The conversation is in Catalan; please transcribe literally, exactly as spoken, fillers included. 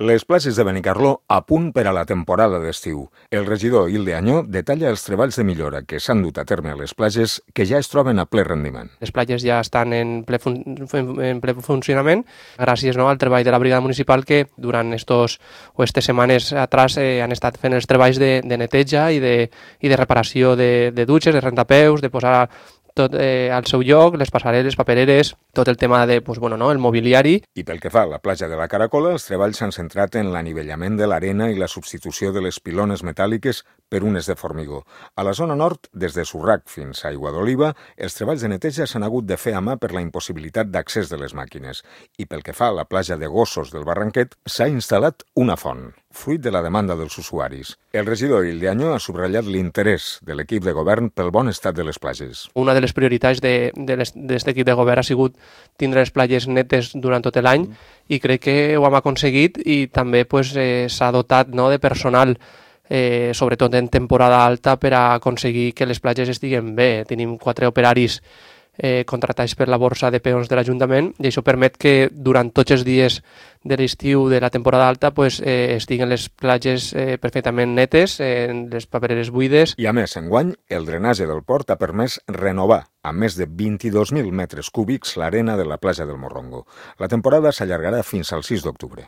Les platges de Benicarló a punt per a la temporada d'estiu. El regidor Hilde Añó detalla els treballs de millora que s'han dut a terme a les platges que ja es troben a ple rendiment. Les platges ja estan en ple, fun en ple funcionament gràcies no, al treball de la brigada municipal que durant estos o estes setmanes atrás eh, han estat fent els treballs de, de neteja i de, i de reparació de, de dutxes, de rentapeus, de posar tot eh, al seu lloc, les passarel·les, papereres, tot el tema de, pues, bueno, no, el mobiliari. I pel que fa a la platja de la Caracola, els treballs s'han centrat en l'anivellament de l'arena i la substitució de les pilones metàl·liques per unes de formigó. A la zona nord, des de Surrac fins a Aigua d'Oliva, els treballs de neteja s'han hagut de fer a mà per la impossibilitat d'accés de les màquines. I pel que fa a la platja de Gossos del Barranquet, s'ha instal·lat una font, fruit de la demanda dels usuaris. El regidor Hilde Añó ha subratllat l'interès de l'equip de govern pel bon estat de les platges. Una de les prioritats d'aquest equip de govern ha sigut tindre les platges netes durant tot l'any mm. i crec que ho hem aconseguit i també pues, eh, s'ha dotat no, de personal, eh, sobretot en temporada alta, per a aconseguir que les platges estiguen bé. Tenim quatre operaris eh, contratats per la borsa de peons de l'Ajuntament i això permet que durant tots els dies de l'estiu de la temporada alta pues, eh, estiguen les platges eh, perfectament netes, eh, les papereres buides. I a més, enguany, el drenatge del port ha permès renovar a més de vint-i-dos mil metres cúbics l'arena de la platja del Morrongo. La temporada s'allargarà fins al sis d'octubre.